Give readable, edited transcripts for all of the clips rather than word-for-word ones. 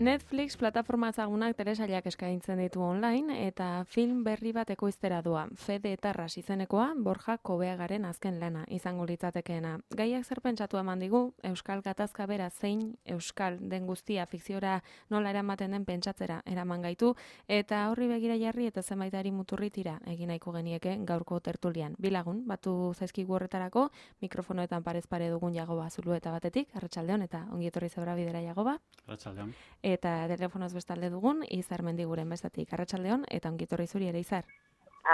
Netflix plataforma ezagunak telesailak eskaintzen ditu online eta film berri bat ekoiztera doa. Fede Etarras izenekoa Borja Kobeagaren azken lana izango litzatekeena. Gaiak zer pentsatu eman digu, Euskal Gatazka bera zein Euskal den guztia fikziora nola eramaten den pentsatzera eraman gaitu eta horri begira jarri eta zenbaitari muturritira egin nahiko genieke gaurko tertulian. Bilagun, batu zaizkigu horretarako, mikrofonoetan parez pare dugun Jagoba Zulueta batetik, arratsaldeon eta ongi etorri Zabra bidera Jagoba. Arratsaldeon. Eta telefonoz bestalde dugun, Izar Mendiguren bestatik. Arratsaldeon eta ongitorri zuri ere, Izar.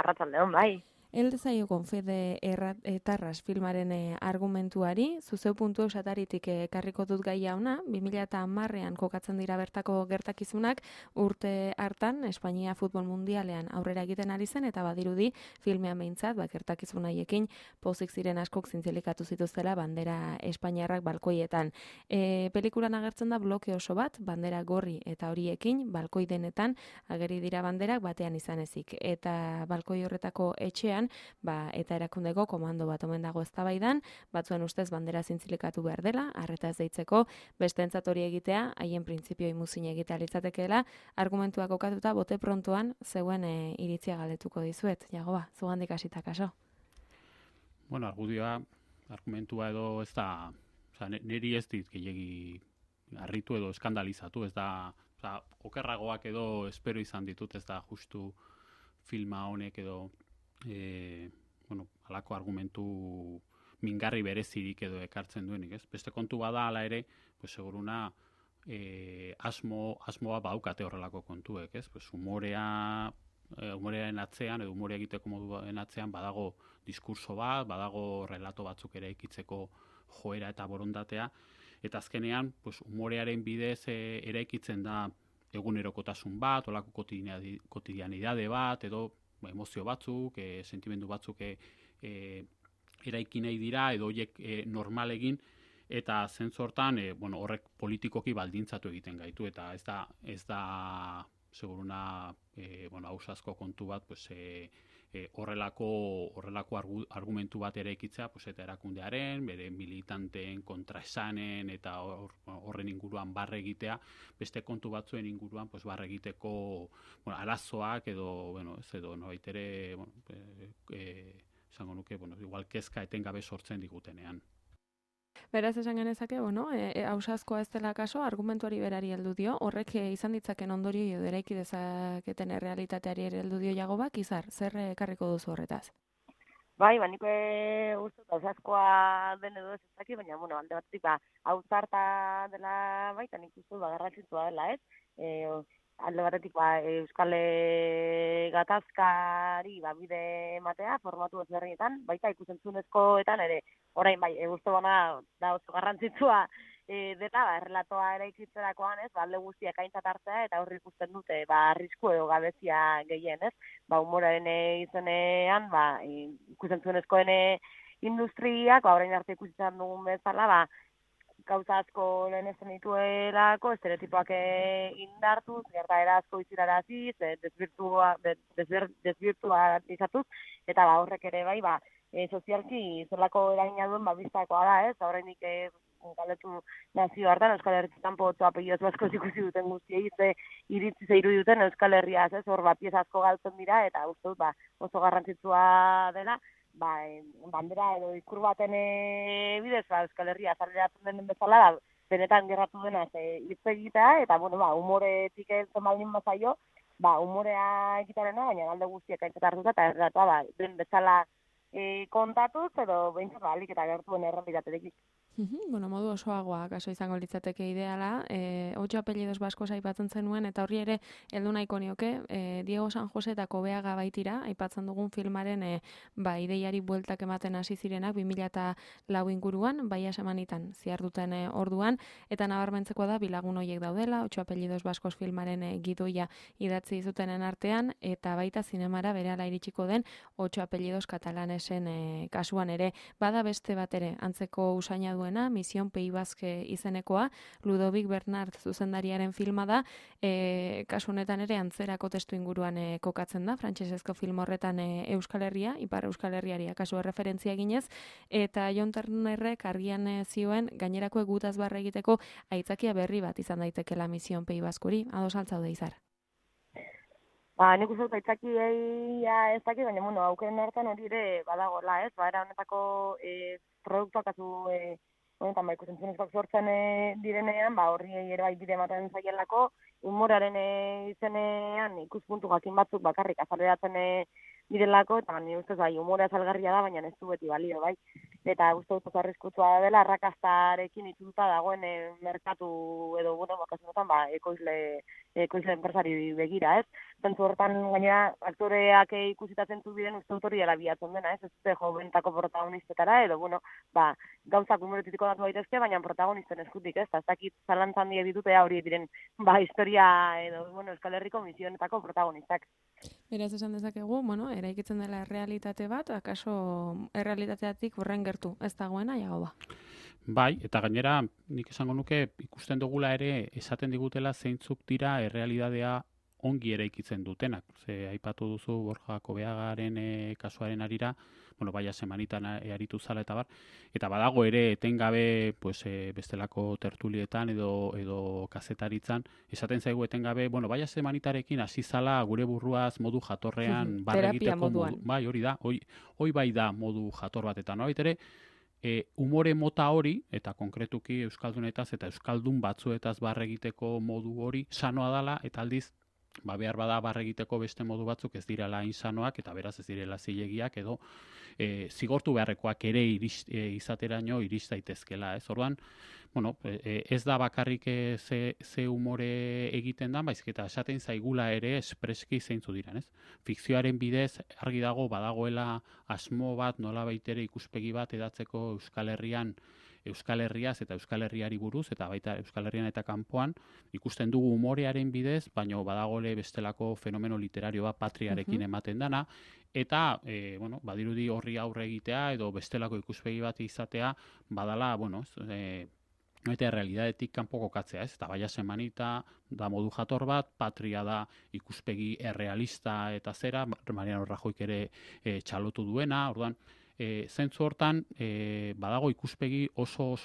Arratsaldeon, bai. Elde zaiogon Fede Etarras filmaren argumentuari, zuzeu puntu esataritik ekarriko dut gaia ona, 2010ean kokatzen dira bertako gertakizunak, urte hartan Espainia Futbol Mundialean aurrera egiten ari zen, eta badirudi filmean behintzat, gertakizun haiekin pozik ziren askok zintzilikatu zituztela bandera espainiarrak balkoietan. Pelikulan agertzen da bloke oso bat, bandera gorri eta horiekin, balkoi denetan ageri dira banderak batean izan ezik. Eta balkoi horretako etxean, eta erakundeko komando bat omen dago eztabaidan, batzuen ustez bandera zintzilikatu behar dela, arreta ez deitzeko, bestentzat hori egitea, haien printzipio imuzin egitea litzatekeela, argumentuak okatuta bote prontoan zeuen iritzia galdetuko dizuet. Jagoba, zugandik hasita kaso. Bueno, argumentua edo ez da, niri ez dit gehiegi harritu edo eskandalizatu, ez da, okerragoak edo espero izan ditut, ez da justu filma honek edo halako argumentu mingarri berezirik edo ekartzen duenik, ez? Beste kontu bada hala ere, seguruna asmoa baukate horrelako kontuek, ez? Humorearen atzean edo humorea egiteko moduen atzean badago diskurso bat, badago relato batzuk ere ikitzeko joera eta borondatea, eta azkenean humorearen bidez eraikitzen da egunerokotasun bat, olako kotidianidade bat, edo emozio batzuk, sentimendu batzuk eraiki nahi dira, edo horiek normal egin, eta zentzortan horrek politikoki baldintzatu egiten gaitu, eta ez da seguruna ausazko kontu bat, horrelako argumentu bat eraikitzea, eta erakundearen, bere militanteen kontraesanen eta horren inguruan barre egitea, beste kontu batzuen inguruan barre egiteko arazoak edo nolabait ere esango nuke, igual kezka etengabe sortzen digutenean. Beraz esan genezake, ausazkoa ez dela kaso, argumentuari berari heldu dio, horrek izan ditzaken ondorio edo eraiki dezaketen errealitateari ere heldu dio Jagobak, Izar, zer ekarriko duzu horretaz? Bai, nik uste ausazkoa den edo ez ezaki, baina, alde batetik, ausarta dela baita, nik uste garrantzitsua dela, ez? Alde batetik, Euskal Gatazkari bide ematea, formatu ezberdinetan, baita ikusentzunezkoetan ere, orain uste bana da oso garrantzitsua dela, errelatoa ere ikitzerakoan, ez, alde guztiak aintzat hartzea, eta horri ikusten dute, arrisku edo gabezia gehien, ez, humoraren izenean, ikusentzunezkoen industriak, orain arte ikusitzen dugun bezala, gauza asko lehenesten dituelako, estereotipoak indartuz, gertaera asko iziraraziz, desbirtualizatuz, eta horrek ere sozialki zelako eragina duen biztakoa da, ez? Horreinik galetu nazio hartan, Euskal Herritan potzo apelioz basko ikusi duten guztiei, iritzi zeiru duten Euskal Herriaz, ez? Hor pieza asko galtzen dira, eta uste dut oso garrantzitsua dela, bandera edo ikur baten bidez, Euskal Herria azaleratzen den bezala, benetan gerratu denaz hitz egitea, eta, humoretik eltzen baldin bazaio, humorea egitarena, baina alde guztiak aintzat hartuta, eta erratua, den bezala kontatuz, edo behintzat alik eta gertuen errealitatetik. Modu osoagoa, kaso izango litzateke ideala, 8 apellidos baskoz aipatzen zenuen, eta horri ere heldu nahiko nioke, Diego San Jose eta Kobeaga baitira, aipatzen dugun filmaren ideiari bueltak ematen hasi zirenak 2004 inguruan, baia semanitan ziarduten orduan, eta nabarmentzeko da bilagun horiek daudela, 8 apellidos baskoz filmaren gidoia idatzi zutenen artean, eta baita zinemara berehala iritsiko den 8 apellidos katalanesen kasuan ere, bada beste bat ere, antzeko usaina duena, Mission Pays Basque izenekoa, Ludovic Bernard zuzendariaren filma da, kasu honetan ere antzerako testu inguruan kokatzen da, frantsesezko film horretan Euskal Herria, Ipar Euskal Herriari kasu erreferentzia ginez, eta Jon Turnerrek argian zioen gainerako egutaz barre egiteko aitzakia berri bat izan daitekela Mission Pays Basqueri, ados altzaude Izar. Nik uste dut aitzakiei ez dakit, baina aukeren hartan hori ere badagoela, ez? Era honetako produktuak honetan ikusentzunezkoak sortzen direnean, horri ere bai bide ematen zaielako, humoraren izenean ikuspuntu jakin batzuk bakarrik azaleratzen direlako, eta ni ustez bai, humorea salgarria da, baina ez du beti balio, bai. Eta uste dut arriskutsua dela, arrakastarekin itxuta dagoen merkatu edo, kasu honetan, ekoizle enpresari begira, ez? Zentzu hortan, gainera, aktoreak ikusitatzen biren uste dut hori dela biatzen dena, ez? Ez dute jo bentako protagonistetara, edo, gauzak humoretitiko datu daitezke, baina protagonisten eskutik, ez? Ez dakit zalantzan die ditutea hori diren, historia edo, Euskal Herriko misionetako protagonistak. Beraz esan dezakegu, eraikitzen dela errealitate bat, akaso errealitateatik horren gertu, ez dagoena, jago ba. Bai, eta gainera, nik esango nuke, ikusten dugula ere, esaten digutela zeintzuk dira errealitatea ongi eraikitzen dutenak. Ze aipatu duzu Borja Kobeagaren kasuaren arira, baia semanitan aritu zala eta bar, eta badago ere etengabe bestelako tertulietan edo kazetaritzan, esaten zaigu etengabe, baia semanitarekin hasi zala gure burruaz modu jatorrean terapia moduan. Bai, hori da, hoi bai da modu jator bat, eta nolabait ere, umore mota hori, eta konkretuki euskaldunetaz eta euskaldun batzuetaz barre egiteko modu hori sanoa dala, eta aldiz behar bada barre egiteko beste modu batzuk ez direla insanoak, eta beraz ez direla zilegiak, edo zigortu beharrekoak ere izateraino irits daitezkela, ez? Orduan, ez da bakarrik ze umore egiten da, baizik eta esaten zaigula ere espreski zeintzu diren, ez? Fikzioaren bidez argi dago badagoela asmo bat, nolabait ere ikuspegi bat edatzeko Euskal Herriaz eta Euskal Herriari buruz, eta baita Euskal Herrian eta kanpoan, ikusten dugu umorearen bidez, baina badagole bestelako fenomeno literario bat patriarekin ematen dana, eta badirudi horri aurre egitea edo bestelako ikuspegi bat izatea badala, eta realitatetik kanpo kokatzea, ez? Eta baia semanita da modu jator bat, patria da ikuspegi errealista eta zera, Mariano Rajoyk ere txalotu duena, orduan, zentzu hortan, badago ikuspegi oso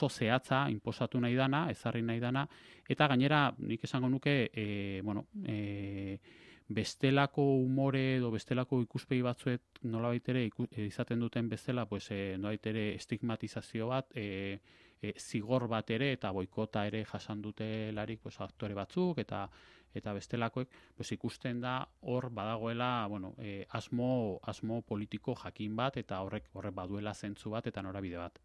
zehatza inposatu nahi dana, ezarri nahi dana, eta gainera, nik esango nuke, bestelako umore edo bestelako ikuspegi batzuet nolabait ere izaten duten bezala, nolabait ere estigmatizazio bat, zigor bat ere eta boikota ere jasan dutelarik aktore batzuk eta bestelakoek, ikusten da hor badagoela asmo politiko jakin bat eta horrek baduela zentzu bat eta norabide bat.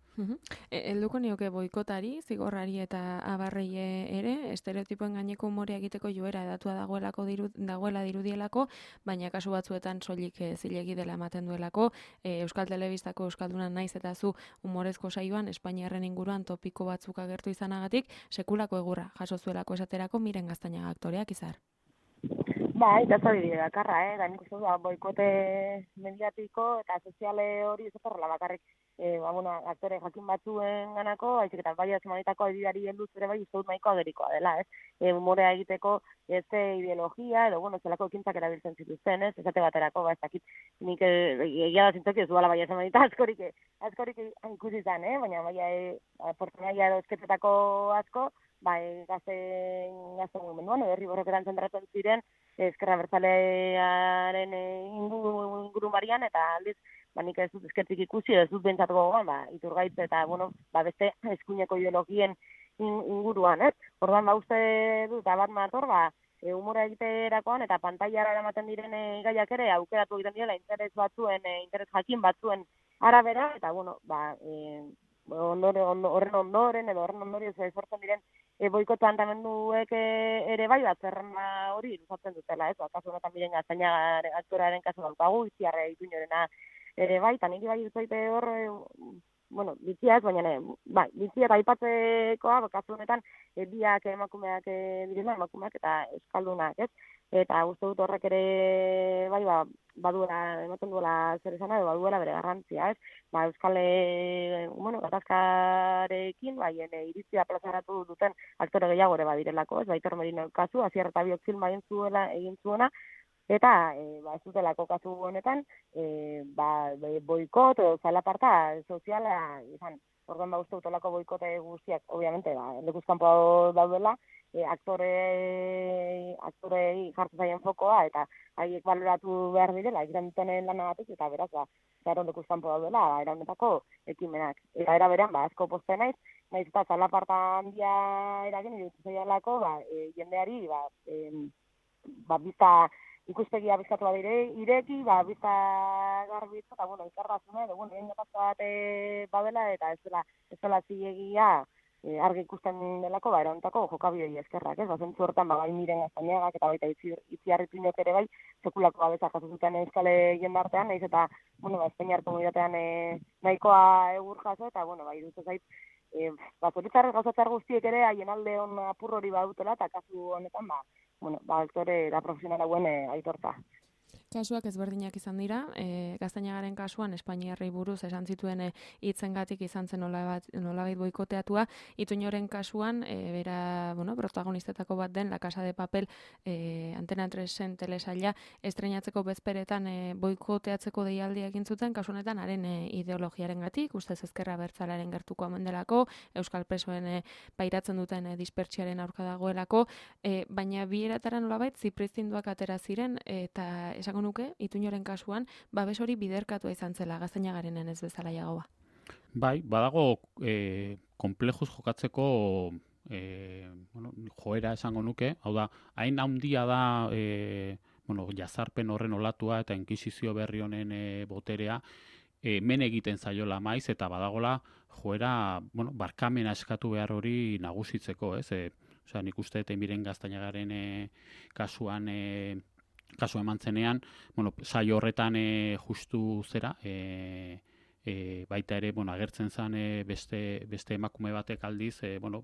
Helduko nioke boikotari, zigorrari eta abarrei ere, estereotipoen gaineko umorea egiteko joera edatua dagoela dirudielako, baina kasu batzuetan soilik zilegi dela ematen duelako, Euskal Telebistako Euskalduna naiz eta zu umorezko saioan Espainiarren inguruan topiko batzuk agertu izanagatik, sekulako egurra jaso zuelako esaterako Miren Gaztañaga aktoreak Izar. Eta ez hori bakarra, da nik uste du boikote mediatiko eta soziale hori ez horrela bakarrik aktore jakin batzuen ganako, haizik eta baia semanitako adibidari helduz ere bai uste dut nahiko agerikoa dela, ez? Umorea egiteko ez ideologia edo zelako ekintzak erabiltzen zituzten, ez? Esate baterako, ez dakit nik egia da zintzoki ez duela baia semanita askorik ikusi izan, baina baia portunaia edo esketetako asko, gazte mugimenduan, herri borroketan zentratzen ziren, Ezkerra Abertzalearen inguru marian, eta aldiz, nik ez dut eskertik ikusi, ez dut bentsatuko gogoan, Iturgaitz eta, beste eskuineko ideologien inguruan, ez? Orduan, uste dut, bat mator, humora egiterakoan eta pantailara ematen diren gaiak ere aukeratu egiten direla interes jakin batzuen arabera, eta, horren ondoren edo horren ondorioz sortzen diren boikota antamenduek ere bai zerrenda hori luzatzen dutela, ez? Kasu honetan Miren Gaztañaga aktorearen kasu daukagu, Itziarre Ituñorena ere bai, eta niri bai dutzaite hor, bitzia ez, baina bitzia eta aipatzekoa, kasu honetan biak emakumeak direla, emakumeak eta euskaldunak, ez? Eta uste dut horrek ere, bai, baduela, ematen duela zer esana, edo baduela bere garrantzia, ez? Euskal, gatazkarekin, iritzia plazaratu duten aktore gehiago ere badirelako, ez? Aitor Merino kasu, Asier eta Biok filma egin zuena, eta ez dutelako kasu honetan, boikot o zalaparta soziala izan. Orduan uste dutolako boikote guztiak, obviamente, lekuz kanpo daudela, aktorei jartzen zaien fokoa, eta haiek baloratu behar direla, egiten dutenen lanagatik, eta beraz, zaro lekuz kanpo daudela, era honetako ekimenak. Eta era berean, asko poste naiz eta zalaparta handia eragin, iruditzen zaialako, jendeari, bizta ikuspegia bizkatu ireki, bizta garbitzu, eta, ikarrazune, edo, egin gatazka bat badela, eta ez dela zilegia argi ikusten delako, erontako jokabidei eskerrak, ez? Zentzu hortan, bai Miren Gaztañagak, eta baita Itziarri Pinok ere bai, sekulako babesa jaso zuten euskale jendartean, nahiz eta, Espainiar komunitatean nahikoa egur jaso, eta, iruditzen zait, zoritzarrez gauzatzar guztiek ere, haien alde hon apur hori badutela, eta kasu honetan, aktore da profesional hauen aitorta. Kasuak ezberdinak izan dira, Gaztañagaren kasuan Espainiarrei buruz esan zituen hitzengatik izan zen nolabait boikoteatua, Ituñoren kasuan, bera, protagonistetako bat den La Casa de Papel Antena 3-en telesaila estreinatzeko bezperetan boikoteatzeko deialdia egin zuten, kasu honetan haren ideologiarengatik, ustez ezkerra abertzalearen gertuko omen delako, euskal presoen pairatzen duten dispertsiaren aurka dagoelako, baina bi eratara nolabait zipristinduak atera ziren, eta esango nuke, Ituñoren kasuan, babes hori biderkatua izan zela, Gaztañagarenen ez bezala jagoa. Bai, badago konplejuz jokatzeko joera esango nuke, hau da, hain handia da jazarpen horren olatua eta inkisizio berri honen boterea, men egiten zaiola maiz, eta badagola joera, barkamena eskatu behar hori nagusitzeko, ez? Nik uste eta Miren Gaztañagaren kasuan kasu eman zenean, saio horretan justu zera, baita ere, agertzen zen beste emakume batek aldiz,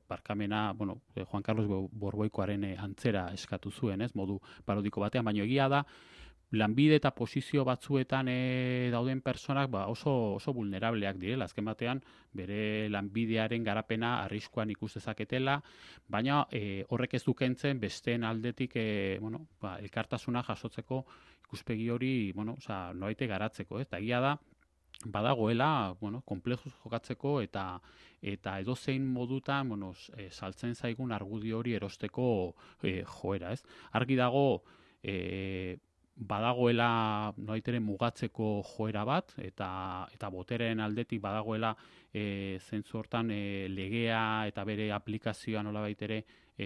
barkamena, Juan Carlos Borboikoaren antzera eskatu zuen, ez, modu parodiko batean, baina egia da, lanbide eta posizio batzuetan dauden personak oso vulnerableak direla, azken batean bere lanbidearen garapena arriskuan ikus dezaketela, baina horrek ez dukentzen besteen aldetik elkartasuna jasotzeko ikuspegi hori, noraite garatzeko, eta egia da badagoela, konplejuz jokatzeko eta edozein modutan, saltzen zaigun argudio hori erosteko joera, ez? Argi dago badagoela noaitere mugatzeko joera bat, eta botereen aldetik badagoela zentzu hortan legea eta bere aplikazioa nolabait ere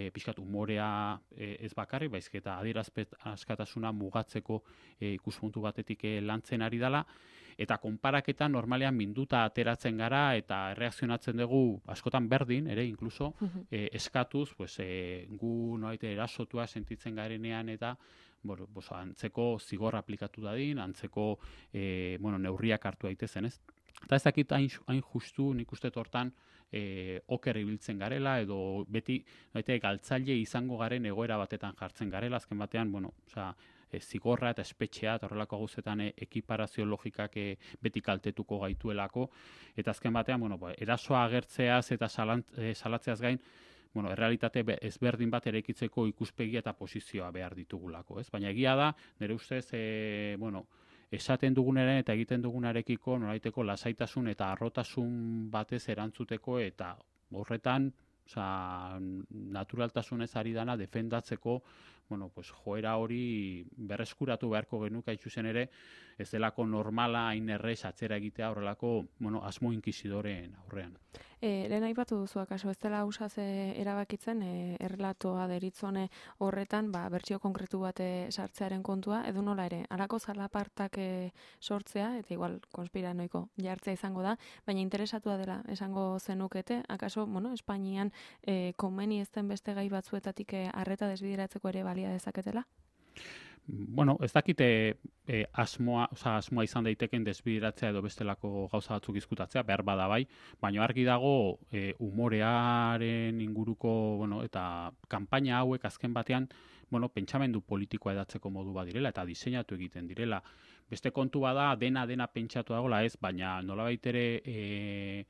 pixkat umorea ez bakarrik, baizik eta adierazpen askatasuna mugatzeko ikuspuntu batetik lantzen ari dela, eta konparaketa normalean minduta ateratzen gara eta erreakzionatzen dugu askotan berdin, ere inkluso eskatuz, gu nolabait erasotua sentitzen garenean eta antzeko zigor aplikatu dadin, antzeko neurriak hartu daitezen, ez? Eta ez dakit hain justu nik uste hortan oker ibiltzen garela, edo beti galtzaile izango garen egoera batetan jartzen garela, azken batean, zigorra eta espetxea eta horrelako gauzetan ekiparazio logikak beti kaltetuko gaituelako, eta azken batean, erasoa agertzeaz eta salatzeaz gain, errealitate ezberdin bat eraikitzeko ikuspegia eta posizioa behar ditugulako, ez? Baina egia da, nire ustez, esaten dugunaren eta egiten dugunarekiko nolaiteko lasaitasun eta harrotasun batez erantzuteko eta horretan, naturaltasunez ari dana defendatzeko, joera hori berreskuratu beharko genuke hain zuzen ere, ez delako normala hain errez atzera egitea horrelako, asmo inkisidoreen aurrean. Lehen aipatu duzu akaso, ez dela ausaz erabakitzen, errelatoa deritzone horretan, bertsio konkretu bat sartzearen kontua, edo nola ere, halako zalapartak sortzea, eta igual konspiranoiko jartzea izango da, baina interesatua dela esango zenukete, akaso, Espainian komeni ez den beste gai batzuetatik arreta desbideratzeko ere balia dezaketela? bueno, ez dakite asmoa izan daiteken desbideratzea edo bestelako gauza batzuk izkutatzea, behar bada bai, baina argi dago umorearen inguruko, bueno, eta kanpaina hauek azken batean, bueno, pentsamendu politikoa edatzeko modu bat direla eta diseinatu egiten direla. Beste kontu bada dena pentsatu dagoela ez, baina nolabait ere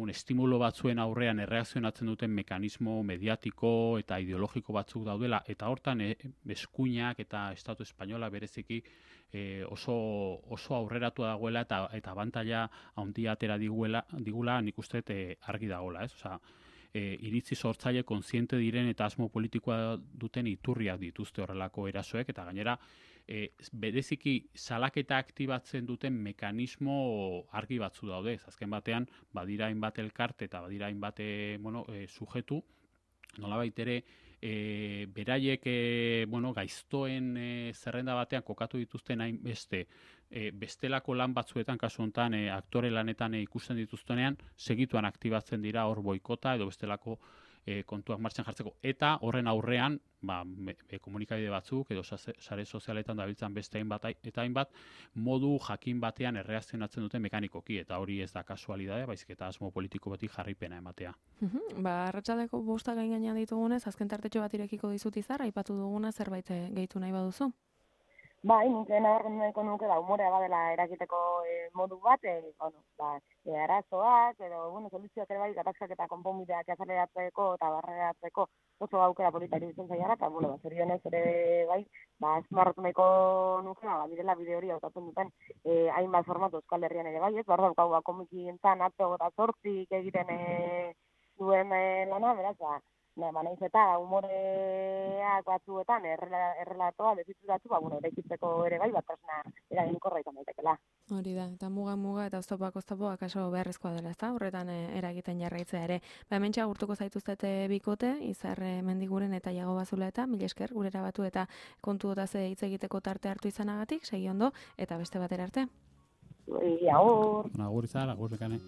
estimulo batzuen aurrean erreakzionatzen duten mekanismo mediatiko eta ideologiko batzuk daudela, eta hortan eskuinak eta Estatu Espainola bereziki oso aurreratu dagoela eta abantaila handia atera digula nik uste argi dagoela, ez? Osea, iritzi sortzaile kontziente diren eta asmo politikoa duten iturriak dituzte horrelako erasoek, eta gainera bereziki salaketa aktibatzen duten mekanismo argi batzu daude. Azken batean badira hainbat elkarte eta badira hainbat sujetu, nolabait ere beraiek gaiztoen zerrenda batean kokatu dituzten hainbeste bestelako lan batzuetan, kasu honetan aktore lanetan ikusten dituztenean, segituan aktibatzen dira hor boikota edo bestelako kontuak martxan jartzeko. Eta horren aurrean, komunikabide batzuk edo sare sozialetan dabiltzan beste hainbat modu jakin batean erreakzionatzen duten mekanikoki, eta hori ez da kasualidadea, baizik eta asmo politiko batik jarripena ematea. Arratsaldeko 5 gain gainean ditugunez, azken tartetxo bat irekiko dizut Izar, aipatu duguna zerbait gehitu nahi baduzu? Bai, nik nabarmendu nahiko nuke umorea badela erakiteko modu bat, arazoak edo soluzioak ere bai, gatazkak eta konponbideak azaleratzeko eta barreratzeko oso aukera polita iruditzen zailara, eta zorionez ere bai, azpimarratu nahiko nuke, direla bide hori hautatzen duten hainbat formatu Euskal Herrian ere bai, ez, behar daukagu komikientzan atzo eta 8 egiten duen lana, beraz, naiz eta umoreak batzuetan errelatoa dezitzuratu, eraikitzeko ere bai, batasuna eraginkorra izan daitekela. Hori da, eta muga eta oztopoak akaso beharrezkoa dela, ezta? Horretan eragiten jarraitzea ere. Hementxe agurtuko zaituztete bikote, Izar Mendiguren eta Iago Bazuleta, mila esker gurera batu eta kontu otaz hitz egiteko tarte hartu izanagatik, segi ondo, eta beste batera arte. Agur. Agur Izar, agur Nekane.